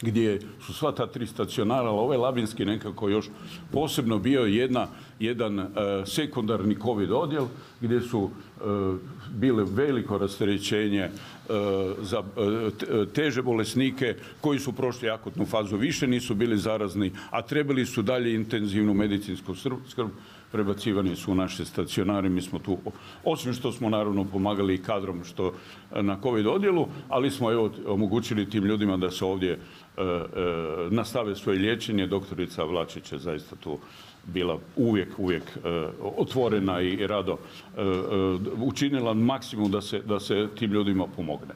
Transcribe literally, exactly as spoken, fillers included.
gdje su sva ta tri stacionara, ali ovaj labinski nekako još posebno bio jedna, jedan uh, sekundarni COVID odjel gdje su uh, bile veliko rasterećenje uh, za uh, teže bolesnike koji su prošli akutnu fazu, više nisu bili zarazni, a trebali su dalje intenzivnu medicinsku skrb, prebacivani su u naše stacionare. Mi smo tu, osim što smo naravno pomagali i kadrom što na COVID odjelu, ali smo evo omogućili tim ljudima da se ovdje e, e, nastave svoje liječenje. Doktorica Vlačić je zaista tu bila uvijek, uvijek e, otvorena i rado e, e, učinila maksimum da se, da se tim ljudima pomogne.